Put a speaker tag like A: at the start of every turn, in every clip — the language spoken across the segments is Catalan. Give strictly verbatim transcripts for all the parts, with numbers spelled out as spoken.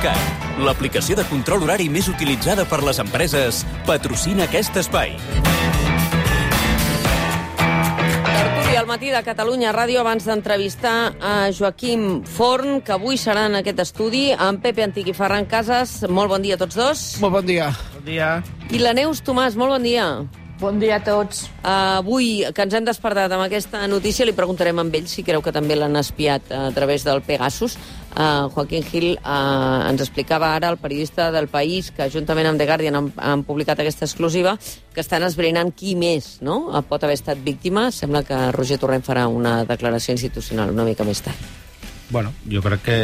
A: PassatGascat, l'aplicació de control horari més utilitzada per les empreses, patrocina aquest espai.
B: Tertúlia al matí de Catalunya Ràdio, abans d'entrevistar a Joaquim Forn, que avui serà en aquest estudi, amb Pepe Antich i Ferran Casas. Molt bon dia a tots dos.
C: Molt bon dia.
D: Bon dia.
B: I la Neus Tomàs, molt bon dia.
E: Bon dia a tots.
B: Uh, avui, que ens hem despertat amb aquesta notícia, li preguntarem a ell si creu que també l'han espiat a través del Pegasus. Uh, Joaquín Gil uh, ens explicava ara, el periodista del País, que juntament amb The Guardian han, han publicat aquesta exclusiva, que estan esbrinant qui més, no?, pot haver estat víctima. Sembla que Roger Torrent farà una declaració institucional una mica més tard.
D: Bueno, jo crec que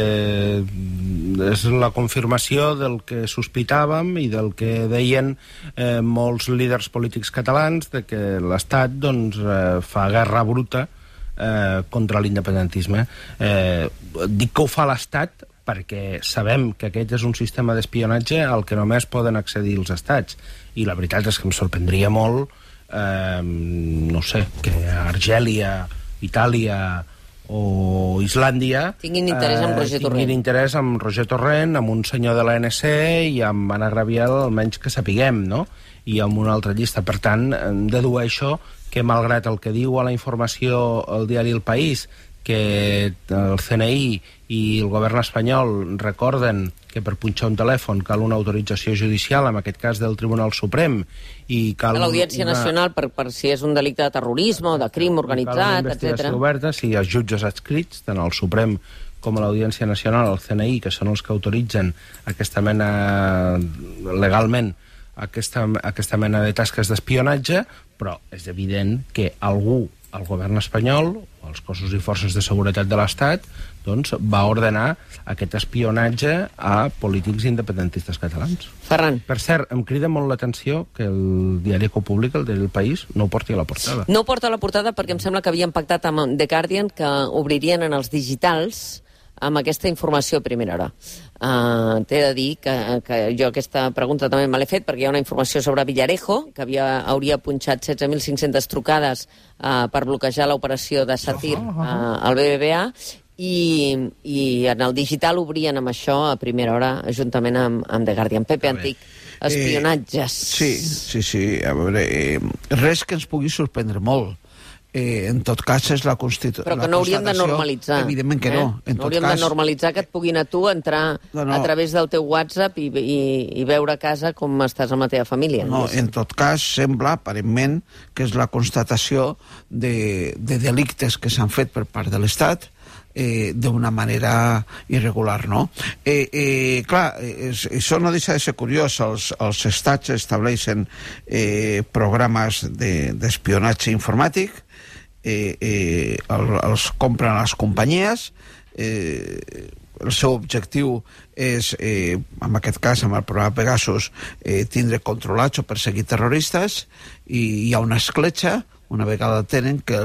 D: és la confirmació del que sospitàvem i del que deien eh, molts líders polítics catalans, de que l'Estat doncs, eh, fa guerra bruta eh, contra l'independentisme. Eh, dic que ho fa l'Estat perquè sabem que aquest és un sistema d'espionatge al que només poden accedir els estats. I la veritat és que em sorprendria molt, eh, no sé, que Argèlia, Itàlia o Islàndia
B: tinguin interès en Roger
D: eh,
B: Torrent.
D: Tinguin interès en Roger Torrent, amb un senyor de l'A N C i amb Anna Gabriel, almenys que sapiguem, no? I amb una altra llista. Per tant, dedueixo que, malgrat el que diu a la informació el diari El País, que el C N I i el govern espanyol recorden que per punxar un telèfon cal una autorització judicial, en aquest cas del Tribunal Suprem, i cal
B: a l'Audiència
D: una...
B: Nacional per, per si és un delicte de terrorisme o de crim organitzat, etcètera.
D: Cal una investigació oberta, si els jutges adscrits, tant al Suprem com a l'Audiència Nacional, al C N I, que són els que autoritzen aquesta mena, legalment, aquesta, aquesta mena de tasques d'espionatge, però és evident que algú, el govern espanyol, o els cossos i forces de seguretat de l'Estat, doncs va ordenar aquest espionatge a polítics independentistes catalans.
B: Ferran.
D: Per cert, em crida molt l'atenció que el diari que ho publica, el diari El País, no ho porti a la portada.
B: No ho porta a la portada perquè em sembla que havien pactat amb The Guardian que obririen en els digitals amb aquesta informació a primera hora. Uh, T'he de dir que, que jo aquesta pregunta també me l'he fet perquè hi ha una informació sobre Villarejo, que havia, hauria punxat setze mil cinc-centes trucades uh, per bloquejar l'operació de Satir uh, al B B V A, i, i en el digital obrien amb això a primera hora juntament amb, amb The Guardian. Pepe Antich, espionatges.
C: Eh, sí, sí, sí. A veure, eh, res que ens pugui sorprendre molt. Eh, en tot cas és la constitució.
B: Però que no hauríem de normalitzar.
C: Evidentment que eh? no. En
B: no
C: tot
B: hauríem
C: cas...
B: de normalitzar que et puguin a tu entrar no, no. a través del teu WhatsApp i, i, i veure a casa com estàs amb la teva família.
C: No, en tot cas sembla, aparentment, que és la constatació de, de delictes que s'han fet per part de l'Estat eh, d'una manera irregular, no? Eh, eh, clar, és, això no deixa de ser curiós. Els, els estats estableixen eh, programes d'espionatge de, informàtic, Eh, eh, el, els compren les companyies, eh, el seu objectiu és, eh, en aquest cas amb el programa Pegasus, eh, tindre controlats o perseguir terroristes, i hi ha una escletxa, una vegada tenen, que,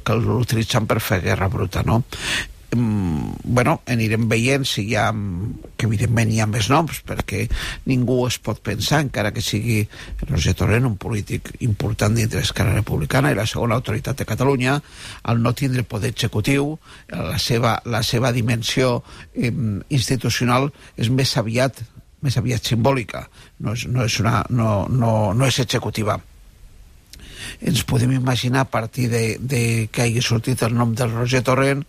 C: que l'utilitzen per fer guerra bruta, no? Mm, bueno, anirem veient si hi ha, que evidentment hi ha més noms, perquè ningú es pot pensar, encara que sigui Roger Torrent, un polític important dintre d'Esquerra Republicana i la segona autoritat de Catalunya, al no tindre poder executiu, la seva, la seva dimensió eh, institucional és més aviat més aviat simbòlica, no és, no és, una, no, no, no és executiva. Ens podem imaginar, a partir de, de que hagi sortit el nom del Roger Torrent,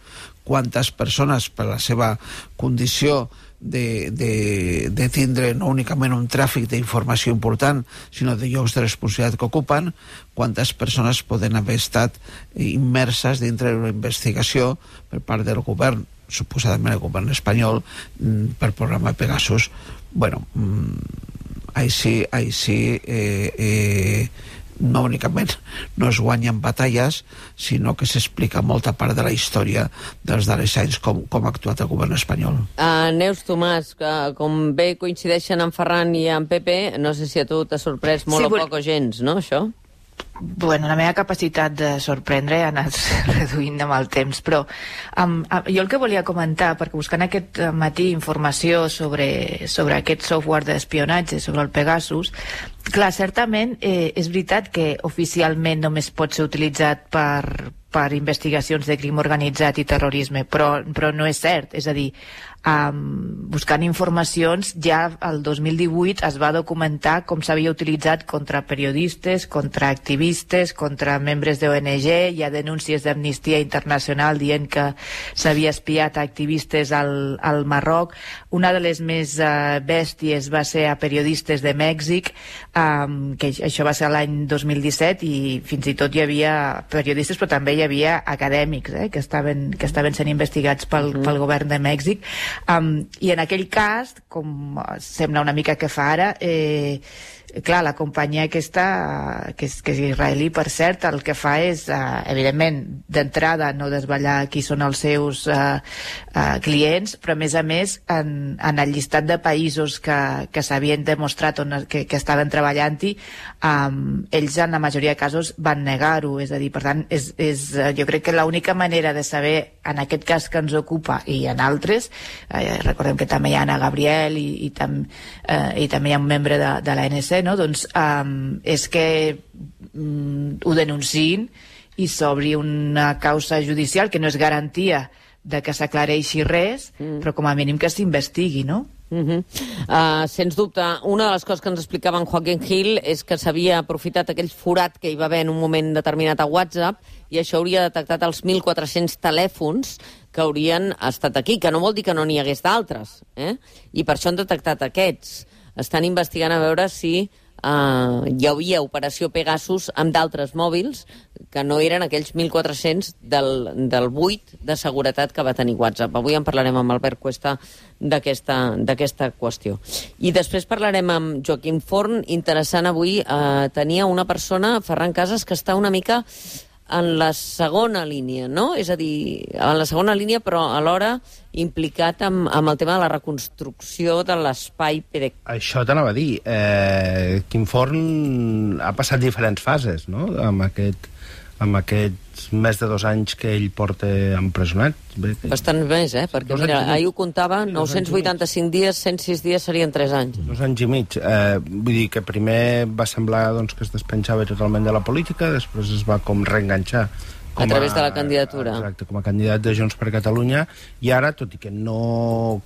C: quantes persones, per la seva condició de, de, de tindre no únicament un tràfic d'informació important, sinó de llocs de responsabilitat que ocupen, quantes persones poden haver estat immerses dintre d'una investigació per part del govern, suposadament el govern espanyol, per programa Pegasus. Bueno, així, així eh, eh, no únicament no es guanyen batalles, sinó que s'explica molta part de la història dels darrers anys com, com ha actuat el govern espanyol.
B: Uh, Neus Tomàs, que com bé coincideixen amb Ferran i amb Pepe, no sé si a tu t'ha sorprès molt sí, o poc o gens, no, això?
E: Bueno, la meva capacitat de sorprendre ha anat reduint amb el temps, però um, jo el que volia comentar, perquè buscant aquest matí informació sobre, sobre aquest software d'espionatge, sobre el Pegasus, Clar, certament eh, és veritat que oficialment només pot ser utilitzat per, per investigacions de crim organitzat i terrorisme, però, però no és cert. És a dir, um, buscant informacions, ja el dos mil divuit es va documentar com s'havia utilitzat contra periodistes, contra activistes, contra membres de O N G. Hi ha denúncies d'Amnistia Internacional dient que s'havia espiat a activistes al, al Marroc. Una de les més uh, bèsties va ser a periodistes de Mèxic, um, que això va ser l'any dos mil disset, i fins i tot hi havia periodistes, però també hi havia acadèmics eh, que, estaven, que estaven sent investigats pel, mm. pel govern de Mèxic. Um, I en aquell cas, com sembla una mica que fa ara, eh, clar, la companyia aquesta, que és, que és israelí, per cert, el que fa és, uh, evidentment, d'entrada no desvetllar qui són els seus uh, uh, clients, però a més a més, en, en el llistat de països que, que s'havien demostrat on, que, que estaven treballant-hi, um, ells en la majoria de casos van negar-ho. És a dir, per tant, és, és, jo crec que l'única manera de saber, en aquest cas que ens ocupa i en altres, eh, recordem que també hi ha Anna Gabriel i, i, tam, eh, i també hi ha un membre de, de l'A N C, no? Doncs um, és que um, ho denunciïn i s'obri una causa judicial, que no és garantia de que s'aclareixi res, mm. però com a mínim que s'investigui, no?
B: Uh-huh. Uh, sens dubte, una de les coses que ens explicava en Joaquín Gil és que s'havia aprofitat aquell forat que hi va haver en un moment determinat a WhatsApp, i això hauria detectat els mil quatre-cents telèfons que haurien estat aquí, que no vol dir que no n'hi hagués d'altres, eh? I per això han detectat aquests. Estan investigant a veure si Uh, hi havia operació Pegasus amb d'altres mòbils que no eren aquells mil quatre-cents del, del buit de seguretat que va tenir WhatsApp. Avui en parlarem amb Albert Cuesta d'aquesta d'aquesta qüestió. I després parlarem amb Joaquim Forn. Interessant avui, uh, tenia una persona, Ferran Casas, que està una mica en la segona línia, no? És a dir, en la segona línia, però alhora implicat amb, amb el tema de la reconstrucció de l'espai P D C A.
D: Això t'anava a dir. Eh, Quim Forn ha passat diferents fases, no?, amb aquest, amb aquests més de dos anys que ell porta empresonat. Bé, que...
B: Bastant més, eh? Perquè, mira, ahir ho comptava, nou-cents vuitanta-cinc dies, cent sis dies serien tres anys.
D: Dos anys i mig. Eh, vull dir que primer va semblar doncs, que es despenjava totalment de la política, després es va com reenganxar com
B: a través de la candidatura.
D: Exacte, com a candidat de Junts per Catalunya, i ara, tot i que no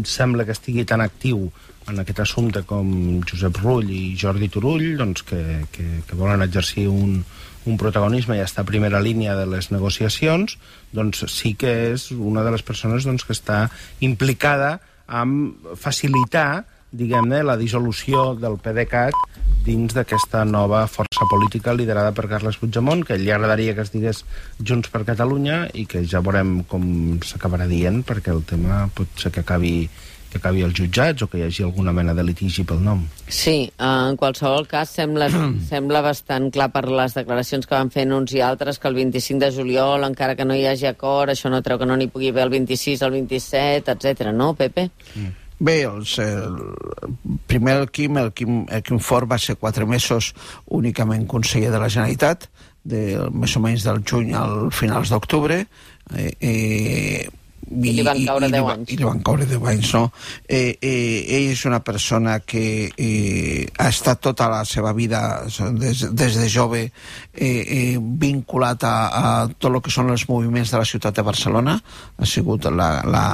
D: sembla que estigui tan actiu en aquest assumpte com Josep Rull i Jordi Turull, doncs que, que, que volen exercir un, un protagonisme i estar a primera línia de les negociacions, doncs sí que és una de les persones doncs, que està implicada en facilitar, diguem-ne, la dissolució del P D C A T dins d'aquesta nova força política liderada per Carles Puigdemont, que li agradaria que es digués Junts per Catalunya, i que ja veurem com s'acabarà dient, perquè el tema pot ser que acabi que acabi als jutjats o que hi hagi alguna mena de litigi pel nom.
B: Sí, en qualsevol cas sembla, sembla bastant clar per les declaracions que van fer uns i altres que el vint-i-cinc de juliol, encara que no hi hagi acord, això no treu que no n'hi pugui haver el vint-i-sis, el vint-i-set, etcètera, no, Pepe?
C: Mm. Bé, els, el, primer el Quim, el Quim, el Quim Forn va ser quatre mesos únicament conseller de la Generalitat, de, més o menys del juny al finals d'octubre, eh, eh,
B: I, I li van caure deu anys.
C: I li van caure deu anys, no? Eh, eh, ell és una persona que eh, ha estat tota la seva vida, des, des de jove, eh, eh, vinculat a, a tot el que són els moviments de la ciutat de Barcelona. Ha sigut la, la,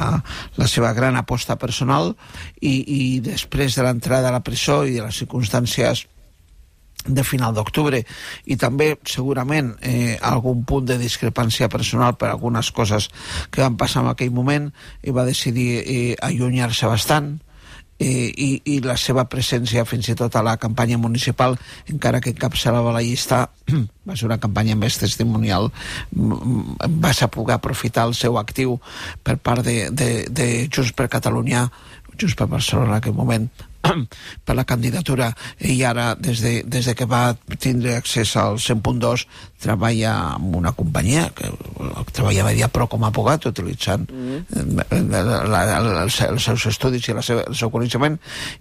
C: la seva gran aposta personal, i, i després de l'entrada a la presó i de les circumstàncies de final d'octubre, i també segurament eh, algun punt de discrepància personal per algunes coses que van passar en aquell moment, i va decidir eh, allunyar-se bastant, eh, i, i la seva presència fins i tot a la campanya municipal, encara que encapçalava la llista, va ser una campanya més testimonial, va poder aprofitar el seu actiu per part de, de, de Junts per Catalunya, Junts per Barcelona en aquell moment, per la candidatura, i ara des de, des de que va tindre accés al cent punt dos treballa amb una companyia que treballa a Mediapro com a abogat, utilitzant mm. la, la, la, els, els seus estudis i la seva, el seu coneixement,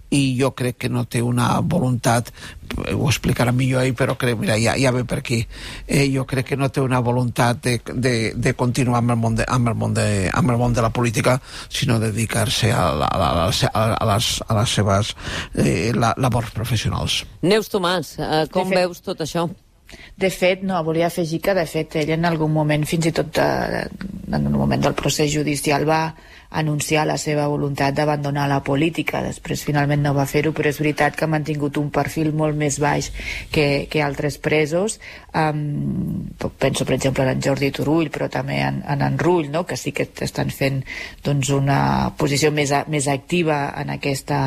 C: i jo crec que no té una voluntat ho explicarà millor ell, però crec, mira, ja, ja ve per aquí. Eh, jo crec que no té una voluntat de, de, de continuar amb el, món de, amb, el món de, amb el món de la política, sinó dedicar-se a, a, a, a, a, les, a les seves eh, la, labors professionals.
B: Neus Tomàs, eh, com fet, veus tot això?
E: De fet, no, volia afegir que de fet ell en algun moment, fins i tot de, en un moment del procés judicial, va anunciar la seva voluntat d'abandonar la política. Després finalment no va fer-ho, però és veritat que ha mantingut un perfil molt més baix que, que altres presos. Um, penso per exemple en Jordi Turull, però també en, en, en Rull, no? Que sí que estan fent doncs, una posició més, a, més activa en aquesta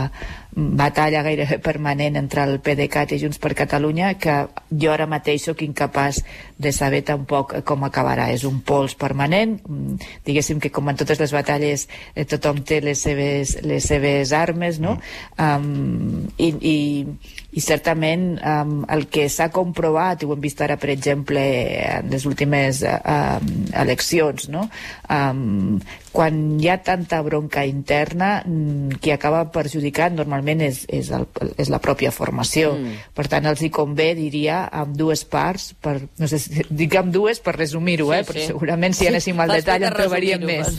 E: batalla gairebé permanent entre el PDeCAT i Junts per Catalunya, que jo ara mateix sóc incapaç de saber tampoc com acabarà. És un pols permanent, diguéssim que com en totes les batalles eh, tothom té les seves, les seves armes, no? Um, i, i, i certament um, el que s'ha comprovat, i ho hem vist ara per exemple en les últimes uh, eleccions, no? Um, quan hi ha tanta bronca interna, qui acaba perjudicant normalment és, és, el, és la pròpia formació. Mm. Per tant, els hi convé, diria, amb dues parts, per, no sé si dic amb dues per resumir-ho, sí, eh? Perquè sí. Segurament si anéssim al sí, detall en trobaríem més.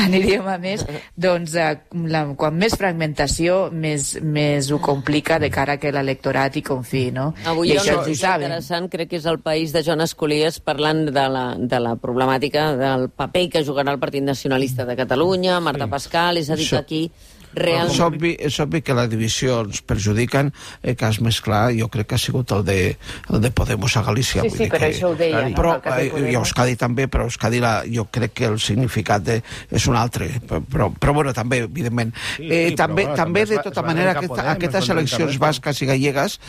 E: Aniríem a més. Doncs eh, la, quan més fragmentació, més, més ho complica de cara que l'electorat hi confiï, no?
B: Avui hi ha una notícia interessant, crec que és el País de Joan Escolies, parlant de la, de la problemàtica del paper que jugarà el Partit Nacionalista de Catalunya, Marta sí. Pascal, és a dir que aquí realment...
C: És obvi, és obvi que la divisió ens perjudiquen, el cas més clar jo crec que ha sigut el de, el de Podemos a Galícia.
E: Sí, sí, però això ho deia.
C: Però, eh, i Euskadi també, però Euskadi la, jo crec que el significat de, és un altre, però, però bueno, també, evidentment. Sí, eh, sí, també, però, també, també de tota manera, aquesta, aquestes eleccions basques i gallegues,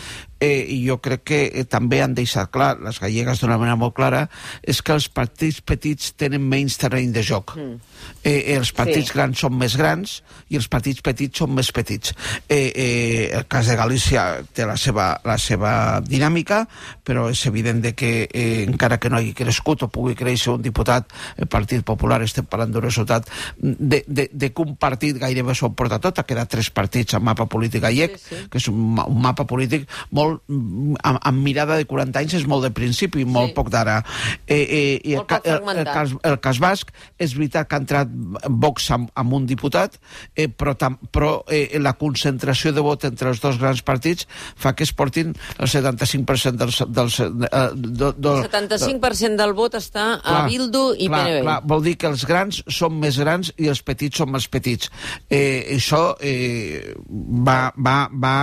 C: eh, i jo crec que eh, també han deixat clar, les gallegues d'una manera molt clara, és que els partits petits tenen menys terreny de joc. Mm. Eh, els partits sí. grans són més grans i els partits petits són més petits. Eh, eh, el cas de Galícia té la seva, la seva dinàmica, però és evident de que eh, encara que no hagi crescut o pugui créixer un diputat, el Partit Popular, estem parlant d'un resultat de, de, de que un partit gairebé s'ho porta tot, ha quedat tres partits en mapa polític gallec, sí, sí. que és un, un mapa polític molt, amb, amb mirada de quaranta anys, és molt de principi, molt sí. poc d'ara. Eh, eh, i el, el, el, el, cas, el cas basc, és veritat que ha entrat Vox amb, amb un diputat, eh, però també però eh, la concentració de vot entre els dos grans partits fa que es portin el setanta-cinc per cent dels... dels eh, do, do,
B: el setanta-cinc per cent del vot està a clar, Bildu i clar, P N V. Clar,
C: vol dir que els grans són més grans i els petits són més petits. Eh, això eh, va, va, va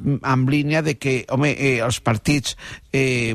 C: en línia de que, home, eh, els partits eh,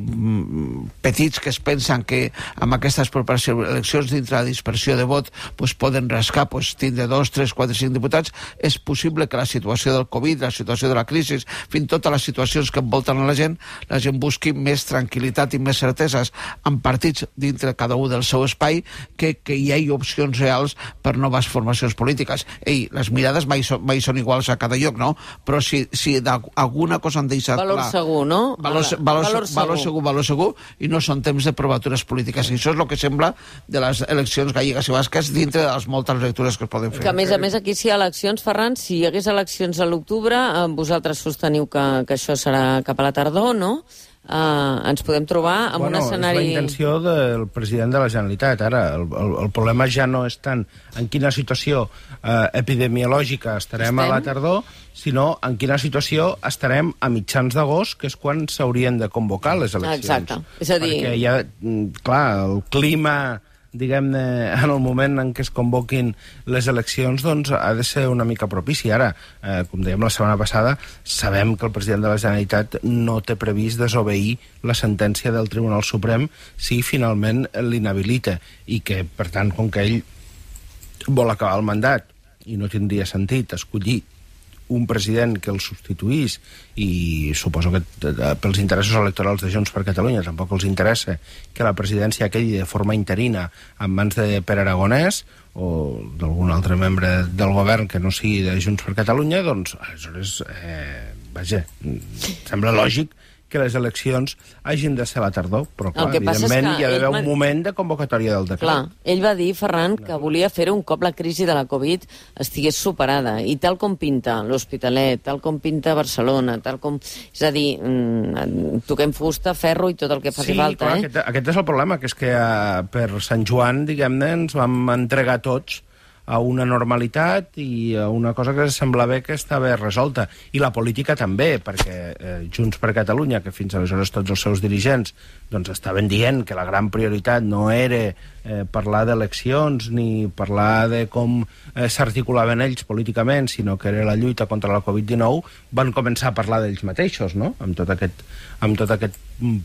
C: petits que es pensen que amb aquestes properes eleccions dintre la dispersió de vot pues, poden rascar, pues, tindre dos, tres, quatre, cinc diputats. És possible que la situació del Covid, la situació de la crisi, fins i totes les situacions que envolten a la gent, la gent busqui més tranquil·litat i més certeses en partits dintre cada un del seu espai que, que hi hagi opcions reals per noves formacions polítiques. Ei, les mirades mai, so, mai són iguals a cada lloc, no? Però si, si alguna cosa han deixat
B: valor
C: clar...
B: Segur, no?
C: Valor, valor, valor, valor segur, valor segur, i no són temps de provatures polítiques. I això és el que sembla de les eleccions gallegues i basques dintre de les moltes lectures que es poden fer.
B: Que a més a més aquí si hi ha eleccions, Ferran, si hi hagués eleccions a l'octubre, eh, vosaltres sosteniu que, que això serà cap a la tardor, no? Uh, ens podem trobar en
D: bueno,
B: un escenari...
D: És la intenció del president de la Generalitat. Ara, el, el, el problema ja no és tant en quina situació uh, epidemiològica estarem, estem? a la tardor, sinó en quina situació estarem a mitjans d'agost, que és quan s'haurien de convocar les eleccions.
B: Exacte. És a dir...
D: Perquè ja, clar, el clima... diguem-ne, en el moment en què es convoquin les eleccions, doncs ha de ser una mica propici. Ara, eh, com dèiem la setmana passada, sabem que el president de la Generalitat no té previst desobeir la sentència del Tribunal Suprem si finalment l'inhabilita, i que, per tant, com que ell vol acabar el mandat i no tindria sentit escollir un president que el substituís, i suposo que pels interessos electorals de Junts per Catalunya tampoc els interessa que la presidència quedi de forma interina en mans de Pere Aragonès o d'algun altre membre del govern que no sigui de Junts per Catalunya, doncs aleshores, eh, vaja, sembla lògic que les eleccions hagin de ser a la tardor, però clar, evidentment hi ha d'haver un moment de convocatòria del decret.
B: Clar, ell va dir, Ferran, que volia fer-ho un cop la crisi de la Covid estigués superada, i tal com pinta l'Hospitalet, tal com pinta Barcelona, tal com... És a dir, mmm, toquem fusta, ferro i tot el que faci
D: sí,
B: falta,
D: clar,
B: eh?
D: Aquest, aquest és el problema, que és que uh, per Sant Joan, diguem-ne, ens vam entregar tots a una normalitat i a una cosa que semblava que estava resolta. I la política també, perquè eh, Junts per Catalunya, que fins aleshores tots els seus dirigents doncs estaven dient que la gran prioritat no era eh, parlar d'eleccions ni parlar de com eh, s'articulaven ells políticament, sinó que era la lluita contra la Covid dinou, van començar a parlar d'ells mateixos, no? Amb tot aquest, amb tot aquest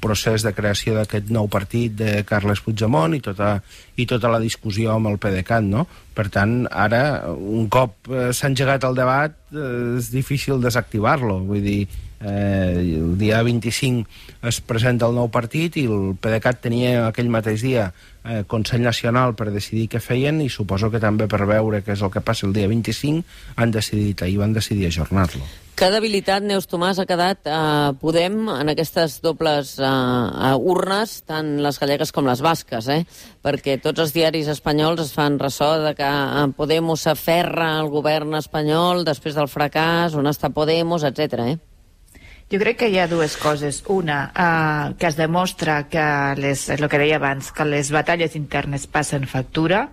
D: procés de creació d'aquest nou partit de Carles Puigdemont i tota, i tota la discussió amb el PDeCAT, no? Per tant, ara, un cop eh, s'ha engegat el debat, eh, és difícil desactivar-lo. Vull dir, eh, el dia vint-i-cinc es presenta el nou partit i el PDeCAT tenia aquell mateix dia eh, Consell Nacional per decidir què feien, i suposo que també per veure què és el que passa el dia vint-i-cinc han decidit, ahir van decidir ajornar-lo.
B: Que debilitat, Neus Tomàs, ha quedat eh, Podem en aquestes dobles eh, urnes, tant les gallegues com les basques, eh? Perquè tots els diaris espanyols es fan ressò de que eh, Podemos s'aferra al govern espanyol després del fracàs, on està Podemos, etcètera, eh?
E: Jo crec que hi ha dues coses. Una, eh, que es demostra que, les, el que deia abans, que les batalles internes passen factura.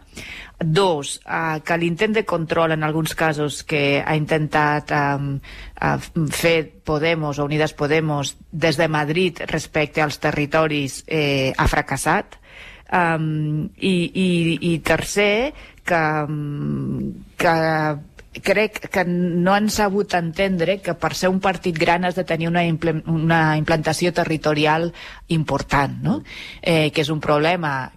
E: Dos, eh, que l'intent de control en alguns casos que ha intentat eh, eh, fer Podemos o Unidas Podemos des de Madrid respecte als territoris eh, ha fracassat. Um, i, i, i tercer, que, que crec que no han sabut entendre que per ser un partit gran has de tenir una, impl una implantació territorial important, no? Eh, que és un problema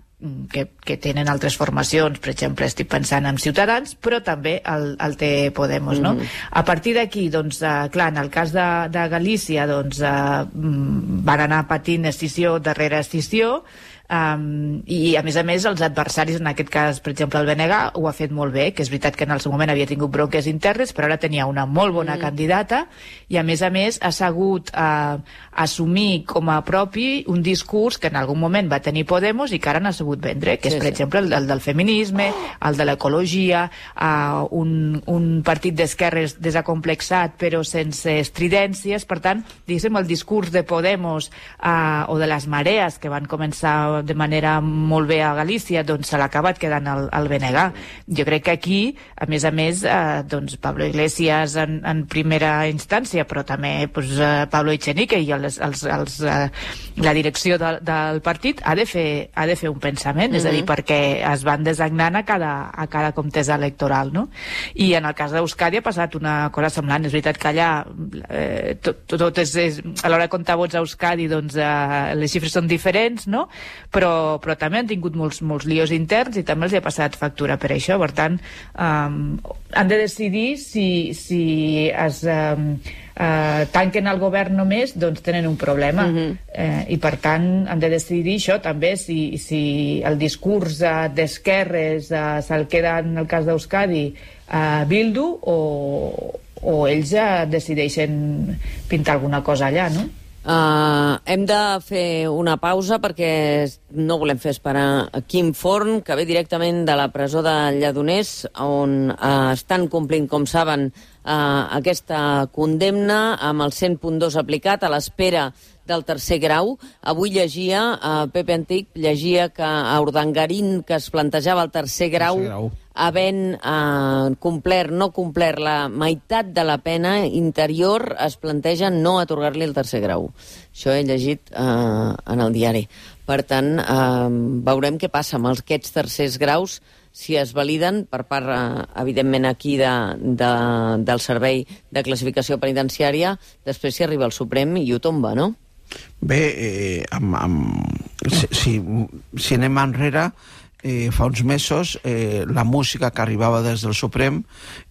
E: que, que tenen altres formacions, per exemple, estic pensant en Ciutadans, però també el, el té Podemos, no? Mm. A partir d'aquí, doncs, eh, clar, en el cas de, de Galícia, doncs, eh, van anar patint escissió darrere escissió, Um, i a més a més els adversaris, en aquest cas per exemple el B N G, ho ha fet molt bé, que és veritat que en el seu moment havia tingut bronques internes, però ara tenia una molt bona mm. candidata, i a més a més ha sabut uh, assumir com a propi un discurs que en algun moment va tenir Podemos i que ara n'ha sabut vendre, que sí, és per sí. exemple el, el del feminisme, el de l'ecologia, uh, un, un partit d'esquerres desacomplexat però sense estridències. Per tant, diguéssim, el discurs de Podemos uh, o de les marees que van començar de manera molt bé a Galícia, doncs se l'ha acabat quedant el, el B N G. Jo crec que aquí, a més a més, eh, doncs Pablo Iglesias en, en primera instància, però també pues, eh, Pablo Echenique i els, els, els, eh, la direcció de, del partit ha de fer, ha de fer un pensament, mm-hmm. és a dir, perquè es van designant a cada, a cada contesa electoral, no? I en el cas d'Euskadi ha passat una cosa semblant. És veritat que allà eh, tot, tot és, és, a l'hora de comptar vots a Euskadi, doncs eh, les xifres són diferents, no? Però, però també han tingut molts, molts líos interns i també els hi ha passat factura per això. Per tant, um, han de decidir si, si es um, uh, tanquen el govern només, doncs tenen un problema. Mm-hmm. eh, I per tant han de decidir això també, si, si el discurs uh, d'esquerres uh, se'l queda en el cas d'Euskadi uh, Bildu, o, o ells uh, decideixen pintar alguna cosa allà, no?
B: Uh, hem de fer una pausa perquè no volem fer esperar a Quim Forn, que ve directament de la presó de Lledoners, on uh, estan complint, com saben, uh, aquesta condemna amb el cent punt dos aplicat a l'espera del tercer grau. Avui llegia, uh, Pepe Antic llegia que a Urdangarín, que es plantejava el tercer grau, tercer grau. havent eh, complert, no complert la meitat de la pena interior, es planteja no atorgar-li el tercer grau. Això he llegit eh, en el diari. Per tant, eh, veurem què passa amb aquests tercers graus, si es validen per part, eh, evidentment, aquí de, de, del Servei de Classificació Penitenciària, després si arriba al Suprem i ho tomba, no?
C: Bé, eh, amb, amb, si, si, si anem enrere, Eh, fa uns mesos eh, la música que arribava des del Suprem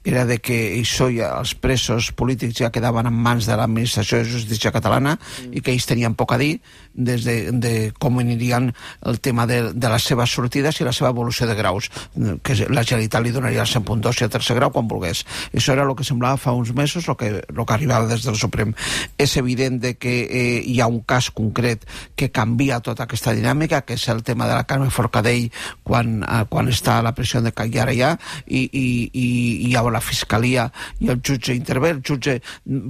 C: era de que això ja, els presos polítics ja quedaven en mans de l'administració de justícia catalana mm. i que ells tenien poc a dir des de, de com anirien el tema de, de les seves sortides i la seva evolució de graus, que la Generalitat li donaria el cent punt dos i el tercer grau quan volgués. Això era el que semblava fa uns mesos, el que, el que arribava des del Suprem. És evident de que eh, hi ha un cas concret que canvia tota aquesta dinàmica, que és el tema de la Carme Forcadell quan, eh, quan està a la pressió de Cagliar allà i, i, i, i hi ha la Fiscalia i el jutge intervé, el jutge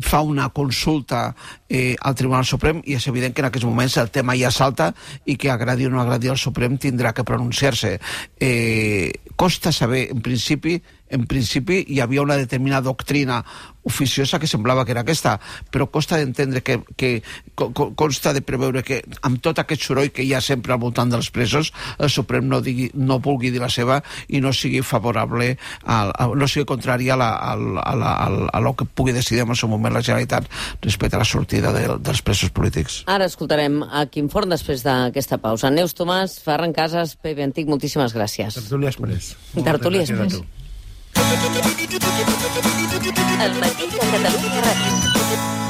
C: fa una consulta eh, al Tribunal Suprem i és evident que en aquests moments el tema ja salta i que agradi o no agradi el Suprem tindrà que pronunciar-se. Eh, costa saber, en principi, en principi hi havia una determinada doctrina oficiosa que semblava que era aquesta, però costa d'entendre que, que consta de preveure que amb tot aquest soroll que hi ha sempre al voltant dels presos, el Suprem no, digui, no vulgui dir la seva i no sigui favorable, al, a, no sigui contrari a, la, a, la, a, la, a lo que pugui decidir en el seu moment la Generalitat respecte a la sortida de, dels presos polítics.
B: Ara escoltarem a Quim Forn després d'aquesta pausa. Neus Tomàs, Ferran Casas, Pepe Antic, moltíssimes gràcies.
D: Tertúlia Express.
B: Tertúlia Express.
F: El matí de Catalunya Ràdio.